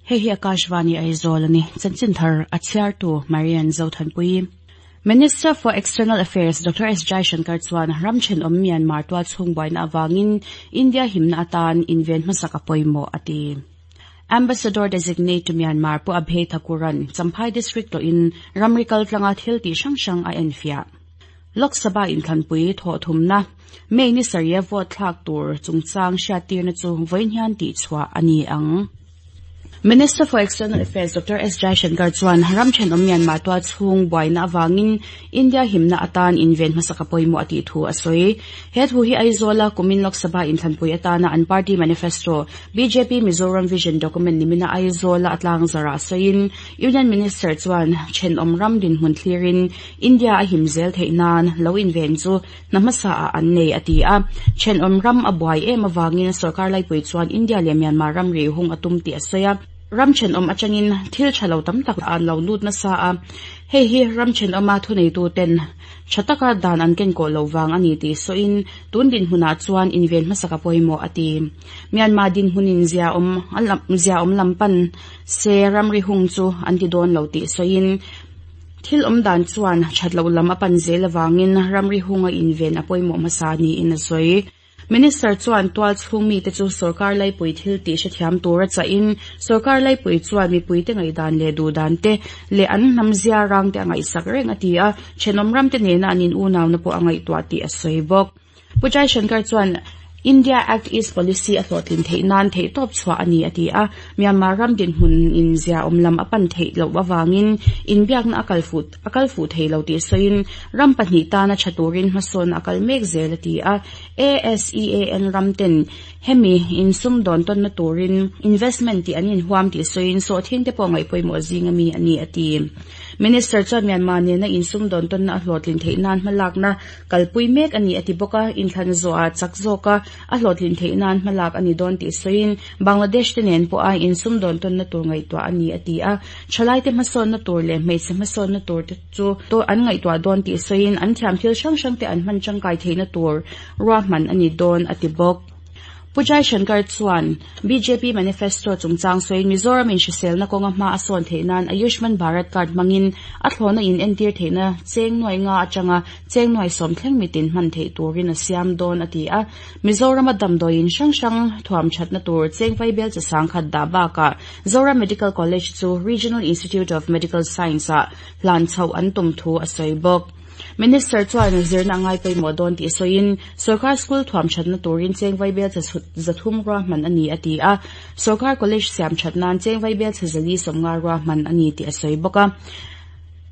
Hei hi Akashvani Aizawl a ni. Chanchin thar a chhiartu Marian Zothanpuii. Minister for External Affairs Doctor S Jaishankar chuan ram thenawm Myanmar tual chhung buaina avangin India himna atan inven hmasak a pawimawh a ti. Ambassador Designate to Myanmar Pu Abhay Thakur-a'n Champhai District tawhin ramri kaltlanga thil tih hrang hrang a enfiah. Lok Sabha inthlanpui thawhthumna May ni sarih a vote thlak tur chungchang hriattirna chu vawiin hian tihchhuah a ni ang. Minister for External Affairs Doctor S Jaishankar chuan ram thenawm Myanmar tual chhung buaina avangin India himna atan inven hmasak a pawimawh a tih thu a sawi. He thu hi Aizawla kumin Lok Sabha inthlanpui atana an party manifesto bjp Mizoram Vision document nimina Aizawla a tlangzarah sawiin Union Minister chuan thenawm ram dinhmun thlirin India a him zel theih nan lo inven chu hna hmasa ah an nei a ti a. Thenawm ram a buai em avangin sorkar laipui chuan India leh Myanmar ramri hung a tum tih a sawi a. Ram thenawm atangin thil tha lo tam tak an lo lut nasa a, hei hi ram thenawma thuneituten tha taka dan an kenkawh loh vang a ni tih sawiin tun dinhmunah chuan inven hmasak a pawimawh a ti. Myanmar dinhmunin ziaawm ziaawm lam pan se ramri hung chu an ti dawn lo tih sawiin Thil awm dan chuan that loh lam a pan zel avangin ramri hunga inven a pawimawh hmasa niin a sawi. Minister chuan tual chhung mite chu sorkar laipui thil tih hrethiam tura chahin sorkar laipui chuan mipuite ngaihdan leh duhdan te leh an hnam zia rang te a ngaihsak reng a ti a, thenawm ramte nena an in unauna pawh a ngaihtuah tih a sawi bawk. Pu Jaishankar chuan India Act East Policy a hlawhtlin theih nan theihtawp chhuah a ni a ti a, Myanmar ram dinhmun in ziaawm lam a pan theih loh avangin inbiakna a kal fuh a kal fuh thei lo tih sawiin ram pahnih tana tha turin hmasawnna a kal mek zel a ti a. ASEAN ram ten hemi insumdawn tawnna turin investment tih an inhuam tih sawiin sawhthing te pawh ngaihpawimawh zing ami a ni a ti. Minister chuan Myanmar nena insumdawn tawnna a hlawhtlin theih nan hmalakna Kalpui mek a ni a ti bawk a, inthlan zawhah chak zawka a hlawhtlin theih nan hmalak a ni dawn tih sawiin Bangladesh te nen pawha insumdawn tawnna tur ngaihtuah a ni a ti a, thalaite hmasawnna tur leh hmeichhe hmasawnna tur te chu an ngaihtuah dawn tih sawiin an thiam thil hrang hrang te an hman tangkai theihna tur ruahman a ni dawn a ti bawk. Pu Jaishankar chuan bjp manifesto chungchang sawiin Mizoram in hriselna kawnga hma a sawn theih nan Ayushman Bharat card hmangin a thlawhna in entir theihna cheng nuai nga atanga cheng nuai sawm thleng mitin hman theih turin a siam dawn a ti a. Mizorama damdawiin hrang hrang thuam thatna tur cheng vaibel chi sangkhat dah bakah Zoram Medical College chu Regional Institute of Medical Science ah hlan chhoh an tum thu a sawi bawk. Minister chuan zirna a ngai pawimawh dawn tih sawiin, Sorkar school thuam thatna turin cheng vaibel chhe zathum ruahman a ni a ti a, Sorkar college siam that nan cheng vaibel chhe zali sawmnga ruahman a ni tih a sawi bawk a.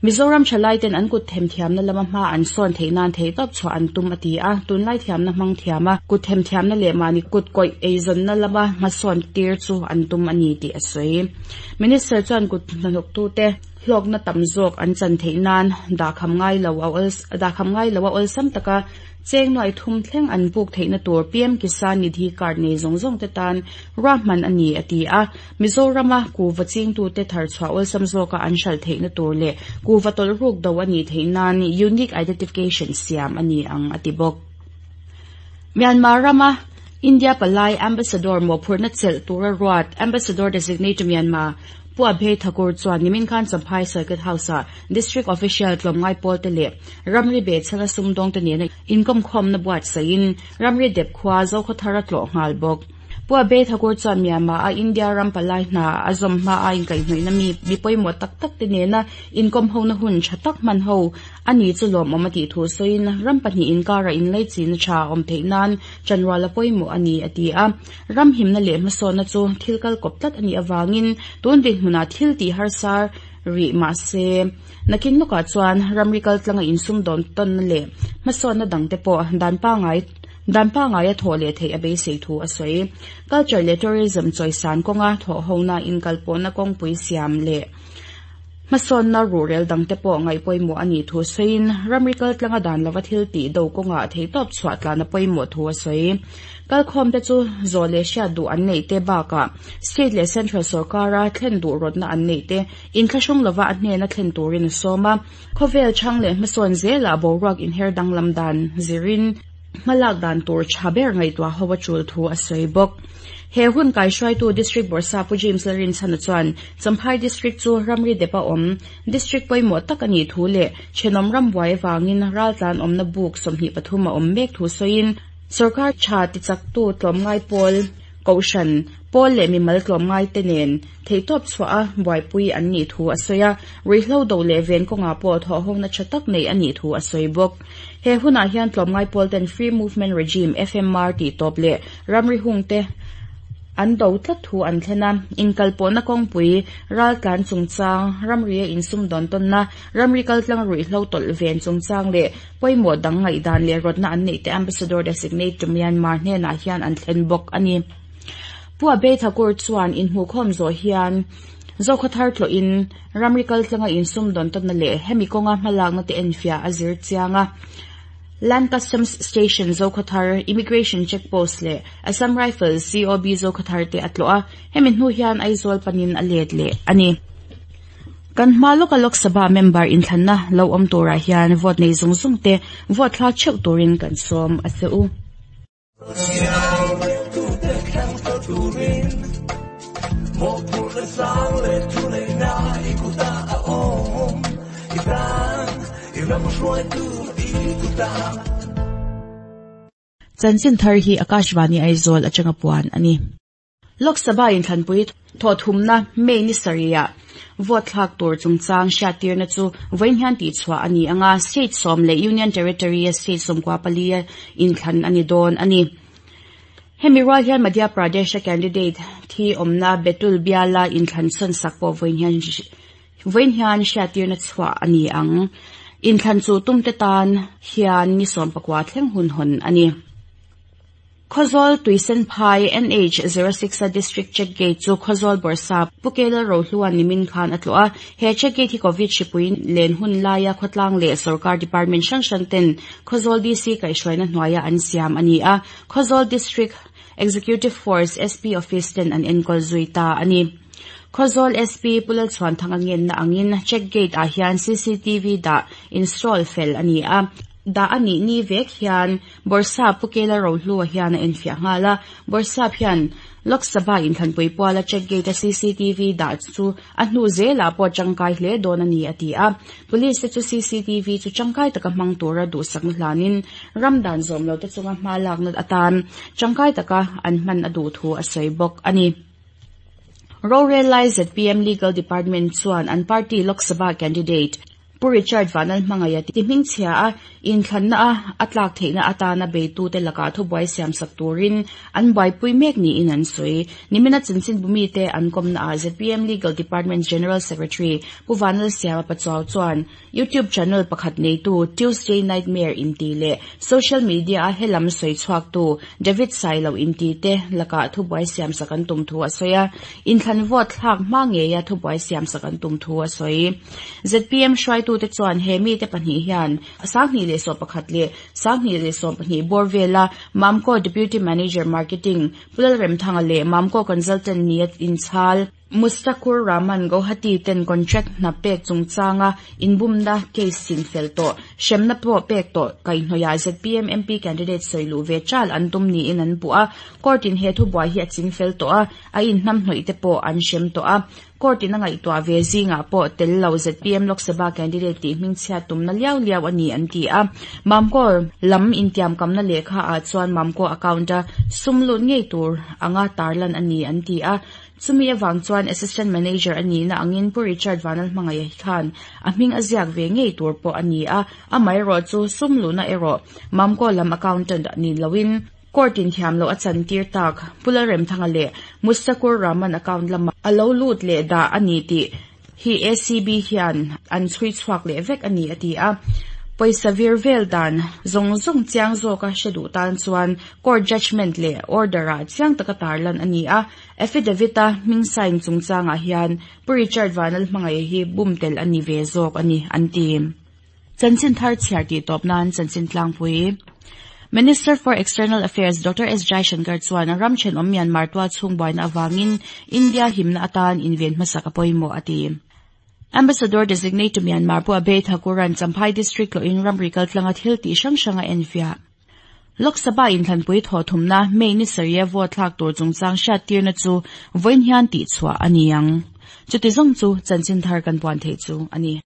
Mizoram thalaiten an kut themthiamna lama hma an sawn theih nan theihtawp chhuah an tum a ti a, tunlai thiamna hmang thiama kut themthiamna leh mahni kut kawih eizawnna lama hmasawn tir chu an tum a ni tih a sawi. Minister chuan kut hnathawktute, Hlawkna tam zawk an chan theih nan dahkham ngai lo a dahkham ngai lo a awlsam taka cheng nuai thum thleng an buk theihna tur PM Kisan Nidhi card nei zawng zawng te tan ruahman a ni a ti a. Mizorama kuhva chingtute tharchhuah awlsam zawka an hralh theihna tur leh kuhva tawlh ruk do a nih theih nan Unique Identification siam a ni ang a ti bawk. Myanmar rama India palai Ambassador mawhphurhna chelh tura ruat Ambassador Designate to Myanmar Pu Abhay Thakur chuan nimin khan Champhai Circuit House-ah District Official tlawmngai pawlte leh ramri behchhana sumdawngte nena inkawmkhawmna buatsaihin ramri dep khua Zokhawthar a tlawh nghal bawk. Pu Abhay Thakur chuan Myanmar-a India ram palai hna a zawm hma a inkaihhnawihna mi mi pawimawh tak tak te nena inkawmhona hun tha tak hman ho a ni chu lawmawm a tih thu sawiin ram pahnih inkarah inleichina tha a awm theih nan chanrual a pawimawh a ni a ti a. Ram himna leh hmasawnna chu thil kal kawp tlat a nih avangin tun dinhmunah thil tih harsa rih mah se, nakin lawkah chuan ramri kaltlanga insumdawn tawnna leh hmasawnna dangte pawh dan pangai dan pangaia thawh leh theih a beisei thu a sawi. Culture leh Tourism chawisan kawnga thawhhona inkalpawhna kawngpui siam leh Hmasawnna ruhrel dangte pawh ngaih pawimawh a nih thu sawiin, ramri kaltlanga dan lova thil tih do kawngah theihtawp chhuah tlan a pawimawh thu a sawi. Kalkhawmte chu zawh leh hriat duh an neih te bakah state leh central sorkara thlen duh rawtna an neih te inthlahrung lova a hnena thlen turin a sawm a. Khawvel chhang leh hmasawn zelah boruak inher danglam dan zirin, Hmalak dan tur tha ber ngaihtuah ho a tul thu a sawi bawk. He hun kaihruaitu District Bawrhsap Pu James Lalrinchhana chuan Champhai District chu ramri depa awm District pawimawh tak a nih thu leh thenawm ram buai avangin raltlan awmna buk 23 a awm mek thu sawiin Sorkar tha tichaktu tlawmngai pawl, Kohhran, pawl leh mimal tlawmngai te nen theihtawp chhuah a buaipui an nih thu a sawi a, ruihhlo do leh ven kawngah pawh thawhhawkna tha tak neih a nih thu a sawi bawk. He hunah hian tlawmngai pawl ten Free Movement Regime, FMR, tih tawp leh ramri hung te an do tlat thu an thlen a, inkalpawhna kawngpui, raltlan chungchang, ramria insumdawn tawnna, ramri kaltlang ruihhlo tawlh ven chungchang leh pawimawh dang ngaihdan leh rawtna an neih te Ambassador Designate to Myanmar hnenah hian an thlen bawk a ni. Pu Abhay Thakur chuan inhmuhkhawm zawh hian Zokhawthar tlawhin ramri kaltlanga insumdawn tawnna leh hemi kawnga hmalakna te enfiah a zir chiang a. Land Customs Station Zokhawthar, Immigration Check Post leh Assam Rifles COB Zokhawthar te a tlawh a, hemi hnu hian Aizawl panin a let leh a ni. Kan hma lawka Lok Sabha member inthlanna lo awm turah hian vote nei zung zung te vote thlak theuh turin kan sawm a che u. Chanchin thar hi Akashvani Aizawl atanga puan a ni. Lok Sabha inthlanpui thawhthumna May ni sarihah vote thlak tur chungchang hriattirna chu vawiin hian tihchhuah a ni ang a, state sawm leh Union Territory-a state 94 a inthlan a ni dawn a ni. Hemi rual hian Madhya Pradesh-a candidate thi awmna Betul biala inthlan sawn sak pawh vawiin hian hriattirna chhuah a ni ang. Inthlan chu tumte tan hian ni 19 thleng hun hawn a ni. Khawzawl Tuisenphai NH 06 a District Check Gate chu Khawzawl Bawrhsap Pu Kelal Rohluan nimin khan a tlawh a. He check gate hi Covid hripui len hun laia khawtlang leh sorkar department hrang hrang ten Khawzawl DC kaihhruaina hnuaia an siam a ni a. Khawzawl District Executive Force SP Office ten an enkawl zui ta a ni. Khawzawl SP Pu Lalchhuanthanga ngenna angin check gate ah hian CCTV dah install fel a ni a. Dah a nih ni vek hian Bawrhsap Pu Kela Rohlua hian a enfiah nghal a. Bawrhsap hian Lok Sabha inthlanpui puala check gate a CCTV dah chu a hnu zelah pawh tangkai hle dawn a ni a ti a. Police te chu CCTV chu tangkai taka hmang tura duhsakna hlanin ram dan zawm lo te chunga hma lakna atan tangkai taka an hman a duh thu a sawi bawk a ni. Rorel lai ZPM Legal Department chuan an party Lok Sabha candidate Pu Richard Vanlalhmangaia tihmingchhia a inthlanna a a tlak theihna atana beitute lakah thubuai siamsak turin an buaipui mek niin an sawi. Nimina chanchinbu mite an kawmnaah ZPM Legal Department General Secretary Pu Vanlalsiama Pachuau chuan YouTube channel pakhat neitu Tuesday Nightmare inti leh social media a helam sawi chhuaktu David Sailo inti te lakah thubuai siamsak an tum thu a sawi a, inthlan vote thlak hma ngeia thubuai siamsak an tum thu a sawi. ZPM hruaitute chuan he mite pahnih hian 2011 leh 2012 bawr vela Mamco Deputy Manager Marketing Pu Lalremthanga leh Mamco Consultant nia inchhal Mustakur Rahman Guwahati ten contract hna pek chungchanga inbumna case sin fel tawh hremna pawh pek tawh kaihhnawihah ZPM MP candidate sawi luh ve chal an tum niin an puh a, court in he thubuai hi a ching fel tawh a, a inhnamhnawih te pawh an hrem tawh a. Court in a ngaihtuah ve zingah pawh tel lo ZPM Lok Sabha candidate tih hmingchhiat tumna liau liau a ni an ti a. Mamco lam intiamkamna lehkha ah chuan Mamco account a sum lut ngei tur anga tarlan a ni an ti a. Chumi avang chuan Assistant Manager a nihna angin Pu Richard Vanlalhmangaih khan a hming a ziak ve ngei tur pawh a ni a, amaherawh chu sum luhna erawh Mamco lam accountant ni loin Court in thiam loh a chantir tak Pu Lalremthanga leh Mustakur Rahman account lamah a lo lut leh dah a ni tih hi ACB hian an chhui chhuak leh vek a ni a ti a. Pawisa vir vel dan zawng zawng chiang zawka hre duh tan chuan court judgement leh order ah chiang taka tarlan a ni a. Affidavit a hming sign chungchangah hian Pu Richard Vanlalhmangaih hi bum tel a ni ve zawk a ni an ti. Chanchin thar chhiar tih tawp nan chanchin tlangpui. Minister for External Affairs Doctor S Jaishankar chuan ram thenawm Myanmar tual chhung buaina avangin India himna atan inven hmasak a pawimawh a ti. Ambassador Designate to Myanmar Pu Abhay Thakur-a'n Champhai District tlawhin ramri kaltlanga thil tih hrang hrang a enfiah. Lok Sabha inthlanpui thawh thumna May ni sarih a vote thlak tur chungchang hriattirna chu vawiin hian tihchhuah a ni ang. Chuti zawng chu chanchin thar kan puan theih chu a ni.